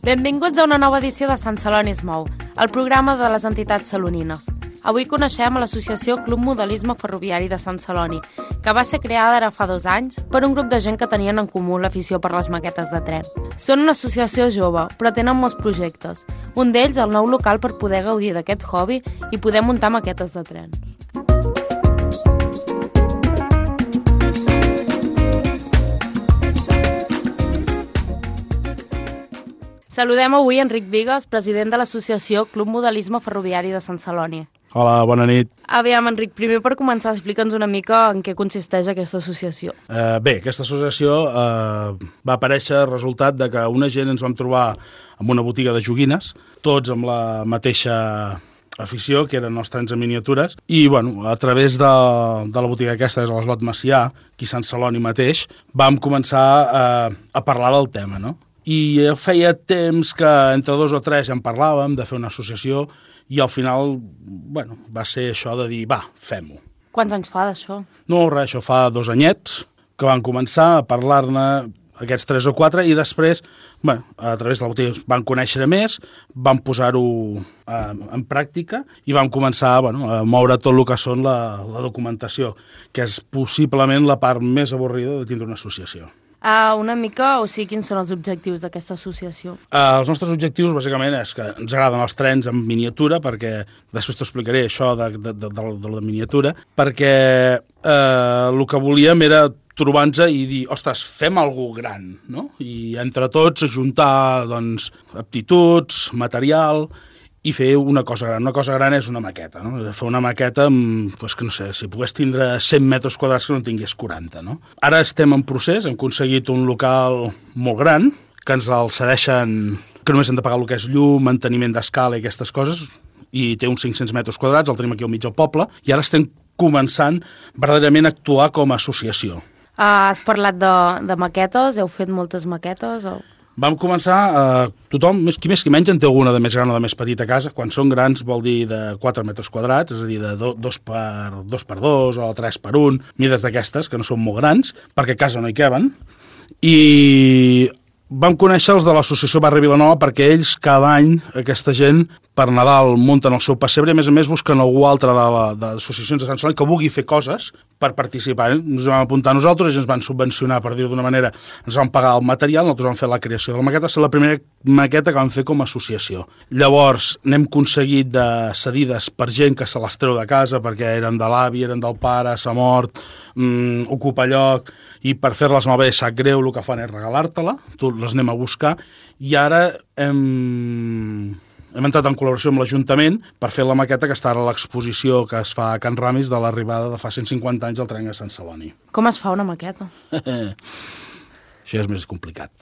Benvinguts a una nova edició de Sant Celoni es mou, el programa de les entitats salonines. Avui coneixem l'associació Club Modelisme Ferroviari de Sant Celoni, que va ser creada ara fa 2 anys per un grup de gent que tenien en comú l'afició per les maquetes de tren. Són una associació jove, però tenen molts projectes. Un d'ells, el nou local per poder gaudir d'aquest hobby i poder muntar maquetes de tren. Saludem avui Enric Bigues, president de l'associació Club Modelisme Ferroviari de Sant Celoni. Hola, bona nit. Aviam, Enric, primer per començar, explica'ns una mica en què consisteix aquesta associació. Bé, aquesta associació va aparèixer resultat de que una gent ens vam trobar en una botiga de joguines, tots amb la mateixa afició, que eren els trens en miniatures, i bueno, a través de la botiga aquesta, és a l'Eslot Macià, aquí a Sant Celoni mateix, vam començar a parlar del tema, no? I feia temps que entre 2 o 3 ja en parlàvem de fer una associació i al final, bueno, va ser això de dir, va, fem-ho. Quants anys fa d'això? No, res, això fa 2 anyets que van començar a parlar-ne aquests 3 o 4 i després, bueno, a través de la botiga van conèixer més, van posar-ho en pràctica i vam començar a moure tot el que són la documentació, que és possiblement la part més avorrida de tindre una associació. Una mica, o sigui, quins són els objectius d'aquesta associació? Els nostres objectius, bàsicament, és que ens agraden els trens en miniatura, perquè després t'ho explicaré, això de la miniatura, perquè el que volíem era trobar-nos i dir, ostres, fem alguna gran, no? I entre tots ajuntar, doncs, aptituds, material i fer una cosa gran. Una cosa gran és una maqueta, no? Fer una maqueta amb, doncs que no sé, si pogués tindre 100 metres quadrats que no en tingués 40, no? Ara estem en procés, hem aconseguit un local molt gran, que ens el cedeixen, que només hem de pagar el que és llum, manteniment d'escala i aquestes coses, i té uns 500 metres quadrats, el tenim aquí al mig del poble, i ara estem començant verdaderament a actuar com a associació. Has parlat de maquetes, heu fet moltes maquetes? Vam començar, tothom, qui més qui menys, en té alguna de més gran o de més petita a casa. Quan són grans vol dir de 4 metres quadrats, és a dir, de 2 per 2 o 3 per 1, mides d'aquestes, que no són molt grans, perquè a casa no hi caben. I vam conèixer els de l'associació Barri Vilanova perquè ells cada any, aquesta gent, per Nadal munten el seu pessebre i a més busquen algú altre de l'associacions de Sant Celoni que vulgui fer coses per participar. Ens vam apuntar a nosaltres, ells ens van subvencionar, per dir-ho d'una manera, ens van pagar el material, nosaltres vam fer la creació de la maqueta, va ser la primera maqueta que vam fer com a associació. Llavors n'hem aconseguit de cedides per gent que se les treu de casa perquè eren de l'avi, eren del pare, s'ha mort, ocupa lloc, i per fer-les malbé sap greu, el que fan és regalar-te-la, tu les anem a buscar, i ara hem entrat en col·laboració amb l'Ajuntament per fer la maqueta que està ara a l'exposició que es fa a Can Ramis de l'arribada de fa 150 anys al tren a Sant Celoni. Com es fa una maqueta? Això és més complicat.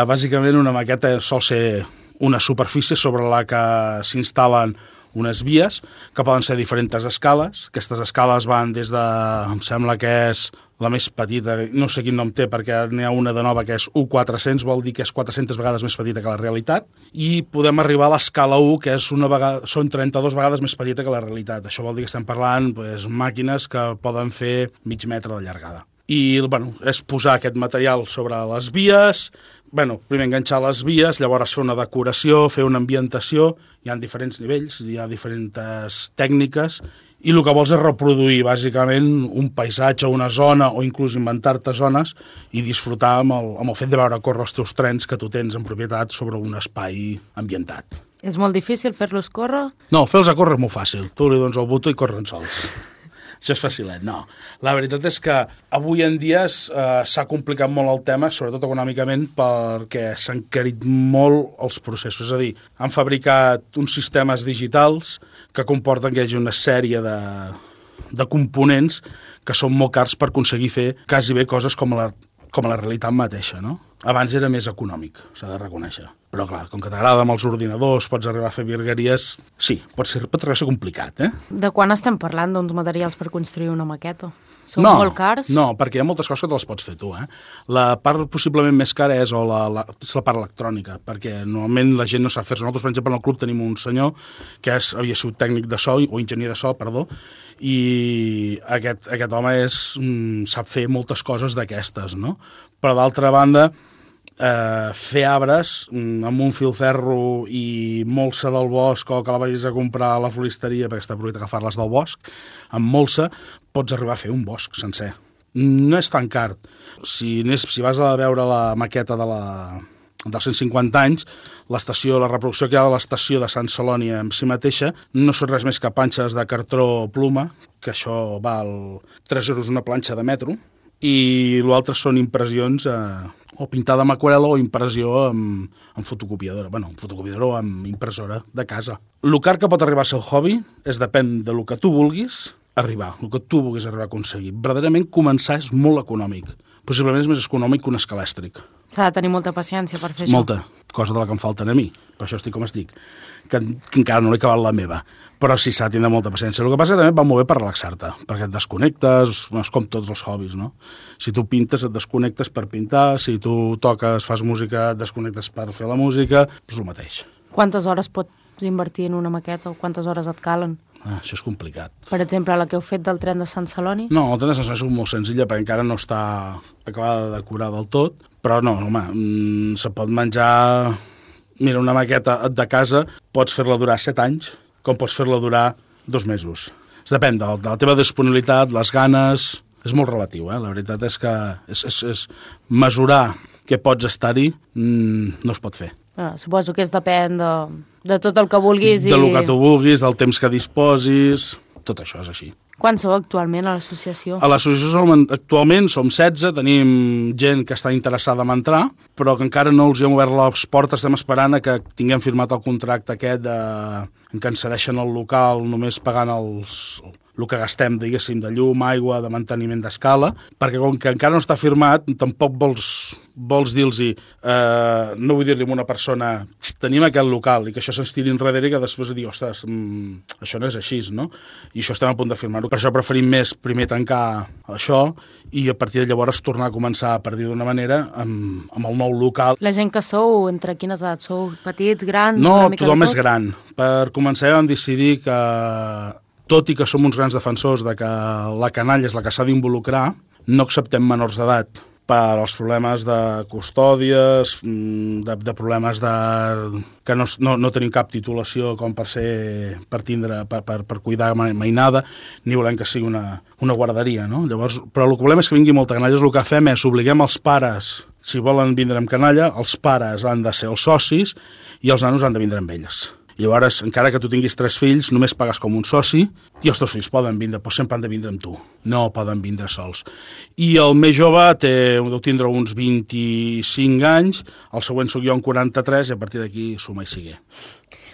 Bàsicament una maqueta sol ser una superfície sobre la que s'instal·len unes vies que poden ser diferents escales. Aquestes escales van des de, em sembla que és la més petita, no sé quin nom té perquè n'hi ha una de nova que és U400, vol dir que és 400 vegades més petita que la realitat, i podem arribar a l'escala 1, que és són 32 vegades més petita que la realitat. Això vol dir que estem parlant màquines que poden fer mig metre de llargada. I és posar aquest material sobre les vies, primer enganxar les vies, llavors fer una decoració, fer una ambientació, hi ha diferents nivells, hi ha diferents tècniques, i el que vols és reproduir, bàsicament, un paisatge, una zona, o inclús inventar-te zones i disfrutar amb el fet de veure córrer els teus trens que tu tens en propietat sobre un espai ambientat. És molt difícil fer-los córrer? No, fer-los a córrer és molt fàcil. Tu li dones el botó i corren sols. Això és facilet, no. La veritat és que avui en dia s'ha complicat molt el tema, sobretot econòmicament, perquè s'han encarit molt els processos. És a dir, han fabricat uns sistemes digitals que comporten que hi hagi una sèrie de components que són molt cars per aconseguir fer quasi bé coses com la realitat mateixa, no? Abans era més econòmic, s'ha de reconèixer. Però, clar, com que t'agrada amb els ordinadors, pots arribar a fer virgueries... Sí, pot arribar a ser complicat, De quan estem parlant d'uns materials per construir una maqueta? Són molt cars? No, perquè hi ha moltes coses que te les pots fer tu, La part possiblement més cara és la part electrònica, perquè normalment la gent no sap fer-se. Nosaltres, per exemple, en el club tenim un senyor que havia sigut tècnic de so, o enginyer de so, perdó, i aquest home sap fer moltes coses d'aquestes, no? Però d'altra banda, fer arbres amb un filferro i molsa del bosc, o que la vagis a comprar a la floristeria, perquè està prohibit agafar-les del bosc, amb molsa pots arribar a fer un bosc sencer. No és tan car. Si vas a veure la maqueta dels 150 anys, l'estació, la reproducció que hi ha de l'estació de Sant Celoni en si mateixa, no són res més que panxes de cartró pluma, que això val 3 euros una planxa de metro, i l'altre són impressions o pintada amb aquarel·la o impressió amb fotocopiadora. Bueno, amb fotocopiadora o amb impressora de casa. El car que pot arribar a ser el hobby depèn de lo que tu vulguis arribar, el que tu vulguis arribar a aconseguir. Verdaderament començar és molt econòmic. Possiblement és més econòmic que un escalèstric. S'ha de tenir molta paciència per fer això. Molta, cosa de la que em falten a mi. Per això estic com estic, que encara no l'he acabat la meva. Però sí, s'ha de tenir molta paciència. El que passa és que també va molt bé per relaxar-te, perquè et desconnectes, és com tots els hobbies, no? Si tu pintes, et desconnectes per pintar, si tu toques, fas música, et desconnectes per fer la música, és el mateix. Quantes hores pots invertir en una maqueta o quantes hores et calen? Això és complicat. Per exemple, la que heu fet del tren de Sant Celoni? No, el tren de Sant Celoni és molt senzilla perquè encara no està acabada de decorar del tot, però no, home, se pot menjar... Mira, una maqueta de casa pots fer-la durar 7 anys, com pots fer-la durar 2 mesos. Depèn de la teva disponibilitat, les ganes... És molt relatiu, La veritat és que és mesurar què pots estar-hi no es pot fer. Suposo que depèn de tot el que vulguis. Del que tu vulguis, del temps que disposis, tot això és així. Quan sou actualment a l'associació? A l'associació actualment som 16, tenim gent que està interessada en entrar, però que encara no els hi hem obert les portes, estem esperant a que tinguem firmat el contracte aquest en què ens cedeixen el local només pagant el que gastem, diguéssim, de llum, aigua, de manteniment d'escala, perquè com que encara no està firmat, tampoc vols dir-los, no vull dir-li a una persona, tenim aquest local, i que això se'ns tiri enrere i que després dir, ostres, això no és així, no? I això estem a punt de firmar-ho. Per això preferim més primer tancar això i a partir de llavors tornar a començar, per dir d'una manera, amb el nou local. La gent que sou, entre quines edats? Sou petits, grans? No, tothom és gran. Per començar vam decidir que tot i que som uns grans defensors de que la canalla és la que s'ha d'involucrar, no acceptem menors d'edat per als problemes de custòdies, de problemes que no tenim cap titulació com per cuidar mainada, ni volem que sigui una guarderia, no? Llavors, però el que volem és que vingui molta canalla. El que fem és obliguem els pares, si volen vindre amb canalla, els pares han de ser els socis i els nanos han de vindre amb elles. Llavors, encara que tu tinguis 3 fills, només pagues com un soci i els 2 fills poden vindre, però sempre han de vindre amb tu. No poden vindre sols. I el més jove deu tindre uns 25 anys, el següent soc jo amb 43 i a partir d'aquí suma i sigue.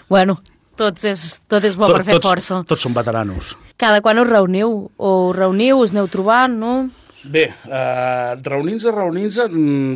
Bueno, tot és bo per fer força. Tots són veteranos. Cada quan us reuniu? O us reuniu, us aneu trobant, no? Bé, reunir-se,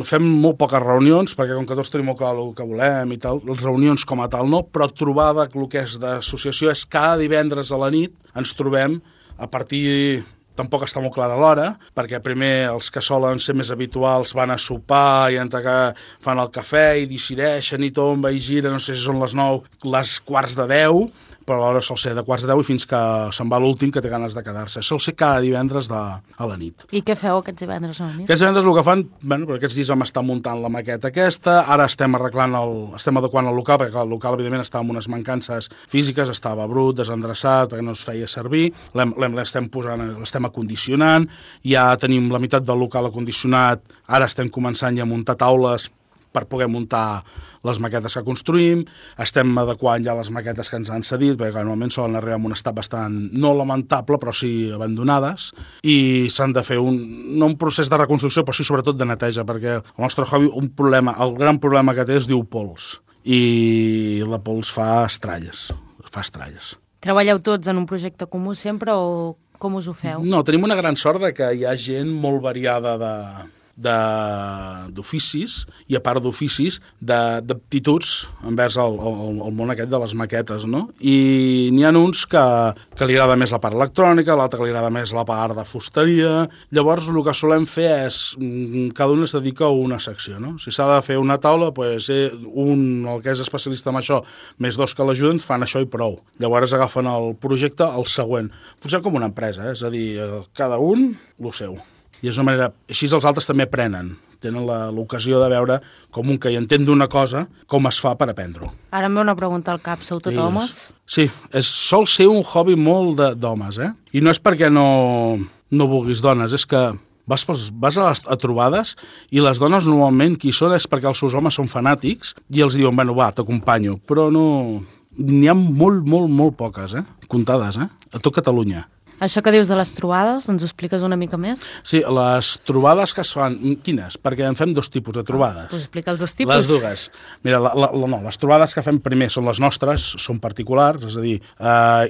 fem molt poques reunions, perquè com que tots tenim molt clar el que volem i tal, les reunions com a tal no, però trobada el que és d'associació és cada divendres a la nit ens trobem a partir... Tampoc està molt clara l'hora, perquè primer els que solen ser més habituals van a sopar i entre que fan el cafè i decideixen i tomba i gira, no sé si són les 9, les quarts de 10, però l'hora sol ser de quarts de 10 i fins que se'n va l'últim que té ganes de quedar-se. Sol ser cada divendres a la nit. I què feu aquests divendres a la nit? Aquests divendres el que fan, bueno, per aquests dies vam estar muntant la maqueta aquesta, ara estem adequant el local, perquè el local evidentment estava amb unes mancances físiques, estava brut, desendreçat, perquè no es feia servir, l'estem acondicionant, ja tenim la meitat del local acondicionat, ara estem començant ja a muntar taules per poder muntar les maquetes que construïm, estem adequant ja les maquetes que ens han cedit, perquè normalment solen arribar en un estat bastant, no lamentable, però sí abandonades, i s'han de fer no un procés de reconstrucció, però sí sobretot de neteja, perquè el nostre hobby, el gran problema que té es diu pols, i la pols fa estralles. Treballeu tots en un projecte comú sempre o com us ho feu? No, tenim una gran sort de que hi ha gent molt variada d'oficis i a part d'oficis d'aptituds envers el món aquest de les maquetes, no? I n'hi ha uns que li agrada més la part electrònica, l'altre que li agrada més la part de fusteria. Llavors el que solem fer és cada un es dedica a una secció, no? Si s'ha de fer una taula, doncs el que és especialista en això, més 2 que l'ajuden, fan això i prou. Llavors agafen el projecte al següent. Funciona com una empresa, és a dir, cada un el seu. I és una manera... Així els altres també aprenen. tenen l'ocasió de veure com un que hi entén d'una cosa, com es fa per aprendre-ho. Ara em ve una pregunta al cap, sou tot homes? Sí, sol ser un hobby molt d'homes, I no és perquè no vulguis dones, és que vas a trobades i les dones normalment qui són és perquè els seus homes són fanàtics i els diuen, bueno, va, t'acompanyo, però no... N'hi ha molt poques, comptades, a tot Catalunya. Això que dius de les trobades, ens ho expliques una mica més? Sí, les trobades que es fan... Quines? Perquè en fem dos tipus de trobades. Doncs explica els dos tipus. Les dues. Mira, les trobades que fem primer són les nostres, són particulars, és a dir,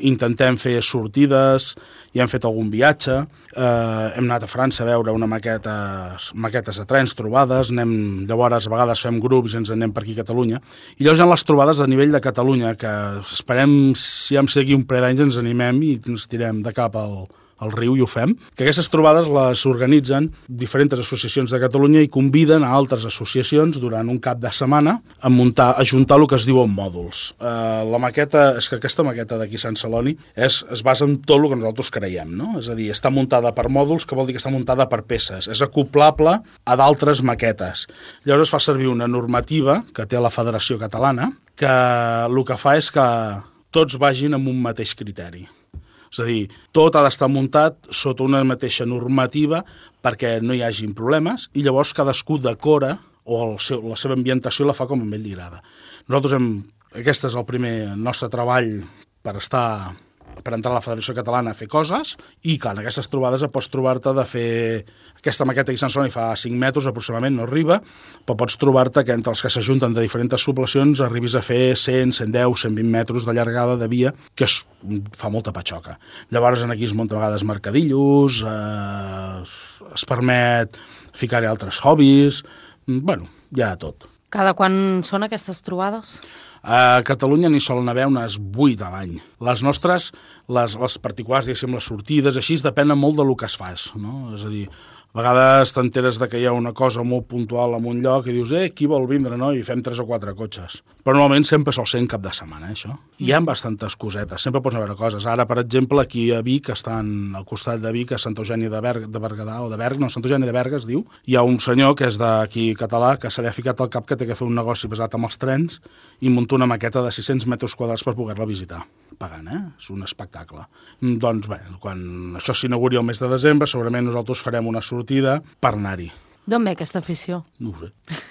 intentem fer sortides, ja hem fet algun viatge, hem anat a França a veure maquetes de trens, trobades, llavors a vegades fem grups i ens anem per aquí a Catalunya, i llavors hi ha les trobades a nivell de Catalunya, que esperem, si hem seguit un parell d'anys, ens animem i ens tirem de cap al riu i ho fem, que aquestes trobades les organitzen diferents associacions de Catalunya i conviden a altres associacions durant un cap de setmana a juntar el que es diuen mòduls. La maqueta, és que aquesta maqueta d'aquí Sant Celoni es basa en tot el que nosaltres creiem, no? És a dir, està muntada per mòduls, que vol dir que està muntada per peces, és acoplable a d'altres maquetes. Llavors es fa servir una normativa que té la Federació Catalana, que el que fa és que tots vagin amb un mateix criteri. És a dir, tot ha d'estar muntat sota una mateixa normativa perquè no hi hagin problemes i llavors cadascú decora o la seva ambientació la fa com a ell li agrada. Aquest és el primer nostre treball per entrar a la Federació Catalana a fer coses i, clar, en aquestes trobades pots trobar-te de fer... Aquesta maqueta aquí a Sant Celoni fa 5 metres aproximadament, no arriba, però pots trobar-te que entre els que s'ajunten de diferents poblacions arribis a fer 100, 110, 120 metres de llargada de via, que fa molta patxoca. Llavors aquí es munta a vegades mercadillos, es permet ficar-hi altres hobbies... Bueno, hi ha tot. Cada quan són aquestes trobades? A Catalunya n'hi solen haver unes 8 a l'any. Les nostres, les particulars, diguéssim, les sortides, així, depenen molt del que es fas, no? És a dir, a vegades t'enteres que hi ha una cosa molt puntual en un lloc i dius, qui vol vindre, no? I fem 3 o 4 cotxes. Però normalment sempre sol ser en cap de setmana, això. Hi ha bastantes cosetes, sempre pots veure coses. Ara, per exemple, aquí a Vic, estan al costat de Vic, a Santa Eugènia de Berguedà, o de Berga, no, Santa Eugènia de Berga es diu, hi ha un senyor que és d'aquí català que se li ha ficat al cap que té que fer un negoci basat amb els trens i muntar una maqueta de 600 metres quadrats per poder-la visitar, pagant, És un espectacle. Doncs bé, quan això s'inauguri el mes de desembre, segurament nosaltres farem una sortida per anar-hi. D'on ve aquesta afició? No ho sé,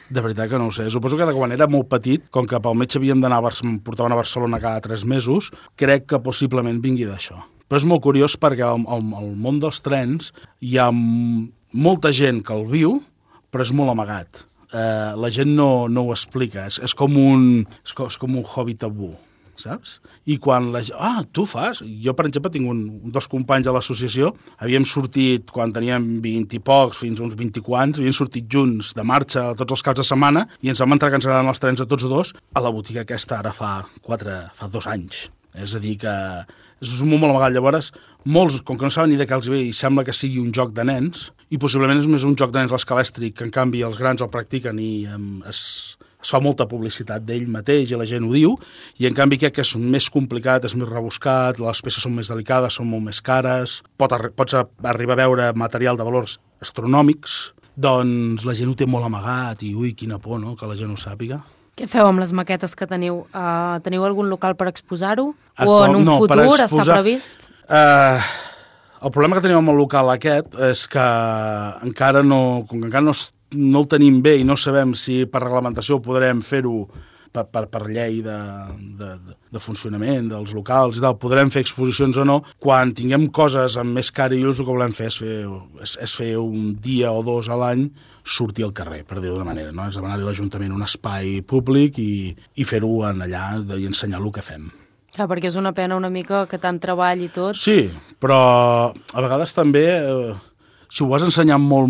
de veritat que no ho sé. Suposo que quan era molt petit, com que pel metge havíem d'anar em portaven a Barcelona cada 3 mesos, crec que possiblement vingui d'això. Però és molt curiós perquè al món dels trens hi ha molta gent que el viu, però és molt amagat. La gent no ho explica, és com un hobby tabú, saps? I quan tu fas? Jo, per exemple, tinc dos companys a l'associació, havíem sortit, quan teníem 20 i pocs, fins uns 20 i quants, havíem sortit junts de marxa tots els caps de setmana i ens vam entrar que ens agraden els trens a tots dos a la botiga aquesta ara fa 2 anys. És a dir, que és un món molt amagat. Llavors, molts, com que no saben ni de què els ve, i sembla que sigui un joc de nens, i possiblement és més un joc de nens l'escalèstric, que en canvi els grans el practiquen i es fa molta publicitat d'ell mateix i la gent ho diu, i en canvi crec que és més complicat, és més rebuscat, les peces són més delicades, són molt més cares, pots arribar a veure material de valors astronòmics, doncs la gent ho té molt amagat i ui, quina por, no?, que la gent ho sàpiga. Què feu amb les maquetes que teniu? Teniu algun local per exposar-ho? O en un futur està previst? El problema que tenim amb el local aquest és que encara no el tenim bé i no sabem si per reglamentació podrem fer-ho per llei de funcionament dels locals i tal, podrem fer exposicions o no. Quan tinguem coses amb més cara i ús, el que volem fer és fer un dia o 2 a l'any sortir al carrer, per dir-ho d'una manera, no? És demanar-li a l'Ajuntament un espai públic i fer-ho allà i ensenyar el que fem. Clar, perquè és una pena una mica que tant treball i tot. Sí, però a vegades també... si ho vas ensenyant molt,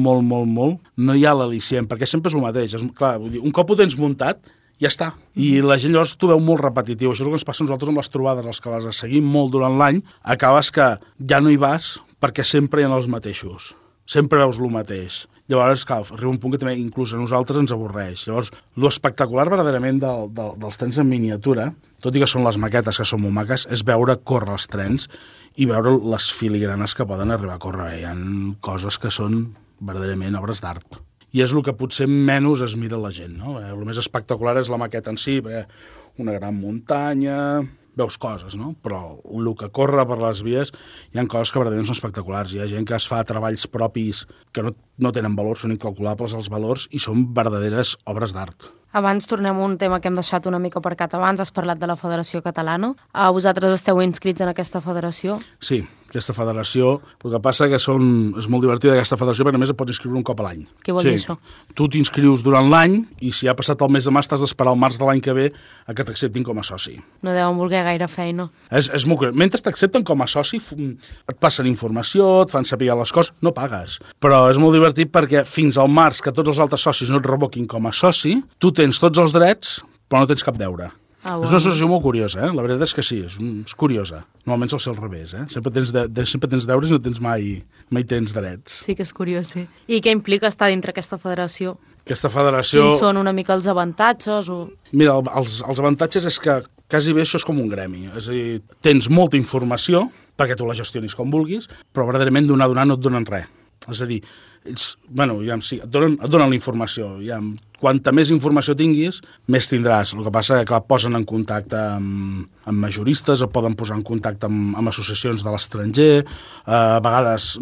no hi ha l'al·licient, perquè sempre és el mateix. Clar, un cop ho tens muntat, ja està. I la gent llavors t'ho veu molt repetitiu. Això és el que ens passa a nosaltres amb les trobades, els que les seguim molt durant l'any, acabes que ja no hi vas perquè sempre hi ha els mateixos. Sempre veus el mateix. Llavors, clar, arriba un punt que també inclús a nosaltres ens avorreix. Llavors, l'espectacular verdaderament dels trens en miniatura, tot i que són les maquetes que són molt maques, és veure córrer els trens i veure les filigranes que poden arribar a córrer. Hi ha coses que són verdaderament obres d'art. i és el que potser menys es mira la gent, no? El més espectacular és la maqueta en si, una gran muntanya, veus coses, no? Però el que corre per les vies hi ha coses que verdaderament són espectaculars. Hi ha gent que es fa treballs propis que no tenen valor, són incalculables els valors i són verdaderes obres d'art. Abans tornem a un tema que hem deixat una mica aparcat abans, has parlat de la Federació Catalana. Vosaltres esteu inscrits en aquesta federació? Sí, aquesta federació, el que passa que és molt divertida aquesta federació perquè només et pots inscriure un cop a l'any. Què vol dir això? Tu t'inscrius durant l'any i si ha passat el mes de març t'has d'esperar el març de l'any que ve a que t'acceptin com a soci. No deuen voler gaire feina. És molt curiós. Mentre t'accepten com a soci et passen informació, et fan saber les coses, no pagues. Però és molt divertit perquè fins al març que tots els altres socis no et revoquin com a soci, tu tens tots els drets però no tens cap deure. Ah, bueno. És una associació molt curiosa, la veritat és que sí, és curiosa. Normalment sol ser al revés, sempre tens deures i no tens mai tens drets. Sí que és curiós, sí. I què implica estar dintre aquesta federació? Aquesta federació... Quins són una mica els avantatges? Mira, els avantatges és que quasi bé això és com un gremi. És a dir, tens molta informació perquè tu la gestionis com vulguis, però verdaderament donar no et donen res. És a dir, et donen la informació. Quanta més informació tinguis, més tindràs. El que passa que, clar, posen en contacte amb majoristes, o poden posar en contacte amb associacions de l'estranger, a vegades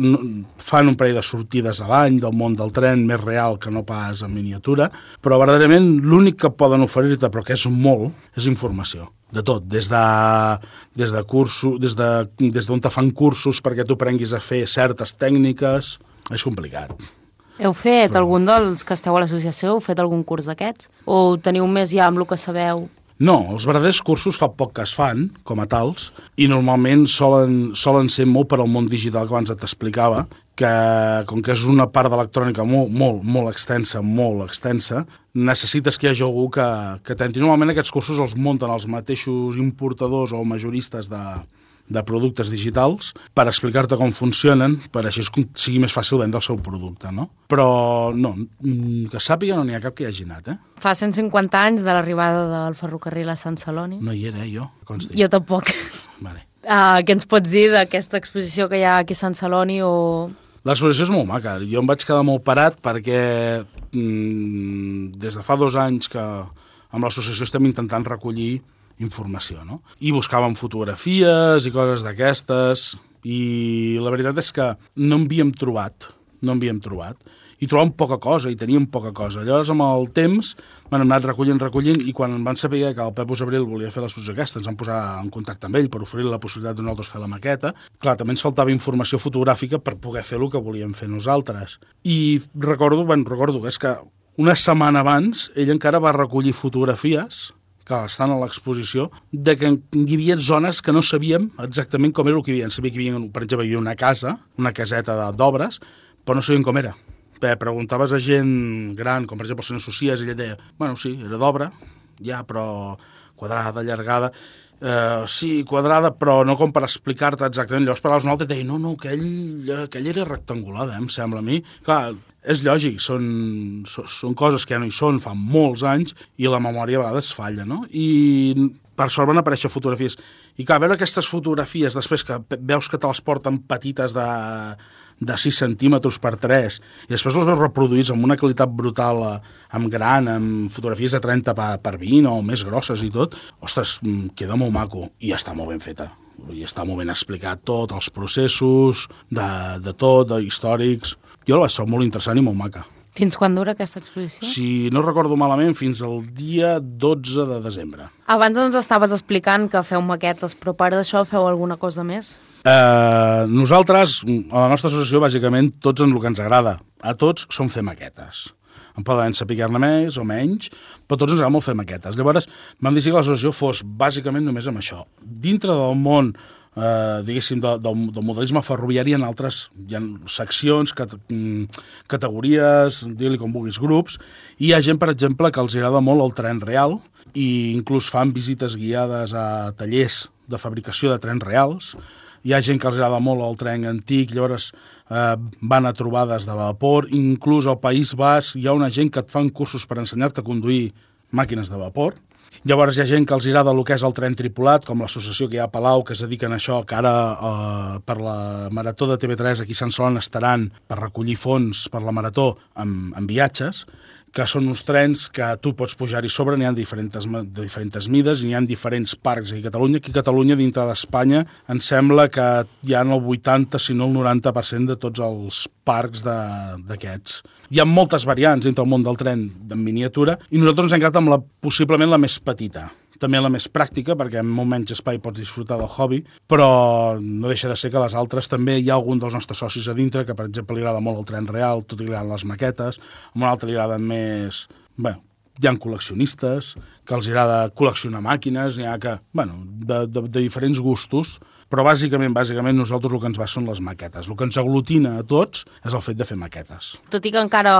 fan un parell de sortides a l'any del món del tren, més real que no pas en miniatura, però verdaderament l'únic que poden oferir-te, però que és molt, és informació. De tot, des de cursos, des d'on te fan cursos perquè tu aprenguis a fer certes tècniques, és complicat. Heu fet, algun dels que esteu a l'associació, heu fet algun curs d'aquests? O teniu més ja amb el que sabeu? No, els verdaders cursos fa poc que es fan, com a tals, i normalment solen ser molt per al món digital que abans t'explicava, que com que és una part d'electrònica molt extensa, necessites que hi hagi algú que t'entri. Normalment aquests cursos els munten els mateixos importadors o majoristes de productes digitals per explicar-te com funcionen, per així sigui més fàcil vendre el seu producte, no? Però no, que sàpiga no n'hi ha cap que hi hagi anat, Fa 150 anys de l'arribada del ferrocarril a Sant Celoni. No hi era, jo, consti. Jo tampoc. Vale. Què ens pots dir d'aquesta exposició que hi ha aquí a Sant Celoni o... L'exposició és molt maca. Jo em vaig quedar molt parat perquè des de fa 2 anys que amb l'associació estem intentant recollir informació, no? I buscàvem fotografies i coses d'aquestes i la veritat és que no en havíem trobat i trobàvem poca cosa i teníem poca cosa. Llavors, amb el temps, m'han anat recollint i quan van saber que el Pep Abril volia fer l'exposició aquesta, ens van posar en contacte amb ell per oferir la possibilitat de nosaltres fer la maqueta. Clar, també ens faltava informació fotogràfica per poder fer el que volíem fer nosaltres. I recordo que és que una setmana abans ell encara va recollir fotografies que estan a l'exposició, de que hi havia zones que no sabíem exactament com era el que hi havia. Sabia que hi havia, per exemple, una casa, una caseta d'obres, però no sabíem com era. Preguntaves a gent gran, com per exemple el senyor Socies, i ella deia, bueno, sí, era d'obra, ja, però quadrada, allargada, sí, quadrada, però no com per explicar-te exactament. Llavors parlaves un altre i deia, no, aquell era rectangular, em sembla a mi. Clar, és lògic, són coses que ja no hi són, fa molts anys, i la memòria a vegades falla, no? I per sort van aparèixer fotografies. I clar, veure aquestes fotografies, després que veus que te les porten petites de 6 centímetres per 3, i després els veus reproduïts amb una qualitat brutal, amb gran, amb fotografies de 30 per 20 o més grosses i tot, ostres, queda molt maco, i està molt ben feta. I està molt ben explicat tot, els processos, de tot, històrics. Jo la vaig trobar molt interessant i molt maca. Fins quan dura aquesta exposició? Si no recordo malament, fins al dia 12 de desembre. Abans ens estaves explicant que feu maquetes, però a part d'això feu alguna cosa més? Nosaltres, a la nostra associació, bàsicament, tots en el que ens agrada. A tots som fer maquetes. En poden saber-ne més o menys, però tots ens agrada molt fer maquetes. Llavors, vam dir que l'associació fos bàsicament només amb això. Dintre del món diguéssim, del modelisme ferroviari hi ha seccions, categories, digue-li com vulguis, grups, i hi ha gent, per exemple, que els agrada molt el tren real i inclús fan visites guiades a tallers de fabricació de trens reals. Hi ha gent que els agrada molt el tren antic, llavors van a trobades de vapor, inclús al País Basc hi ha una gent que et fan cursos per ensenyar-te a conduir màquines de vapor. Llavors hi ha gent que els agrada el que és el tren tripulat, com l'associació que hi ha a Palau, que es dediquen a això, que ara per la Marató de TV3 aquí a Sant Celoni estaran per recollir fons per la Marató amb viatges, que són uns trens que tu pots pujar-hi sobre, n'hi ha de diferents mides i n'hi ha diferents parcs aquí a Catalunya. Aquí a Catalunya, dintre d'Espanya, em sembla que hi ha el 80, si no el 90% de tots els parcs d'aquests. Hi ha moltes variants dintre el món del tren en miniatura i nosaltres ens hem quedat amb possiblement la més petita. També la més pràctica, perquè amb molt menys espai pots disfrutar del hobby, però no deixa de ser que les altres també hi ha algun dels nostres socis a dintre, que per exemple li agrada molt el tren real, tot i li agraden les maquetes, a un altre li agraden més... Bé, hi ha col·leccionistes, que els agrada col·leccionar màquines, n'hi ha que, bueno, de diferents gustos, però bàsicament nosaltres el que ens va són les maquetes. El que ens aglutina a tots és el fet de fer maquetes. Tot i que encara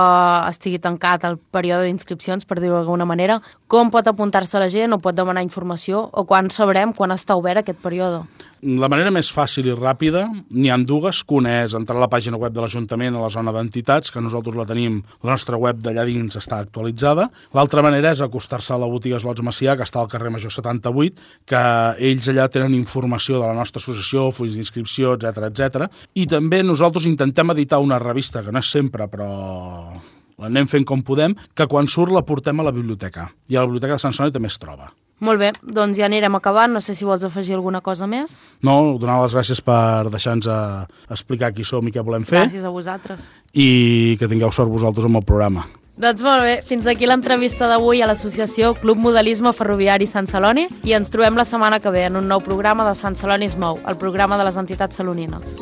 estigui tancat el període d'inscripcions, per dir-ho d'alguna manera, com pot apuntar-se la gent o pot demanar informació o quan sabrem quan està obert aquest període? La manera més fàcil i ràpida n'hi ha dues, que una és entrar a la pàgina web de l'Ajuntament a la zona d'entitats, que nosaltres la tenim, la nostra web d'allà dins està actualitzada. L'altra manera és acostar-se a la botiga Slots Macià, que està al carrer Major 78, que ells allà tenen informació de la nostra associació, fulls d'inscripció, etc. I també nosaltres intentem editar una revista, que no és sempre, però l'anem fent com podem, que quan surt la portem a la biblioteca. I a la biblioteca de Sant Celoni també es troba. Molt bé, doncs ja anirem acabant. No sé si vols afegir alguna cosa més. No, donar les gràcies per deixar-nos explicar qui som i què volem fer. Gràcies a vosaltres. I que tingueu sort vosaltres amb el programa. Doncs molt bé, fins aquí l'entrevista d'avui a l'associació Club Modelisme Ferroviari Sant Celoni i ens trobem la setmana que ve en un nou programa de Sant Celoni es mou, el programa de les entitats salonines.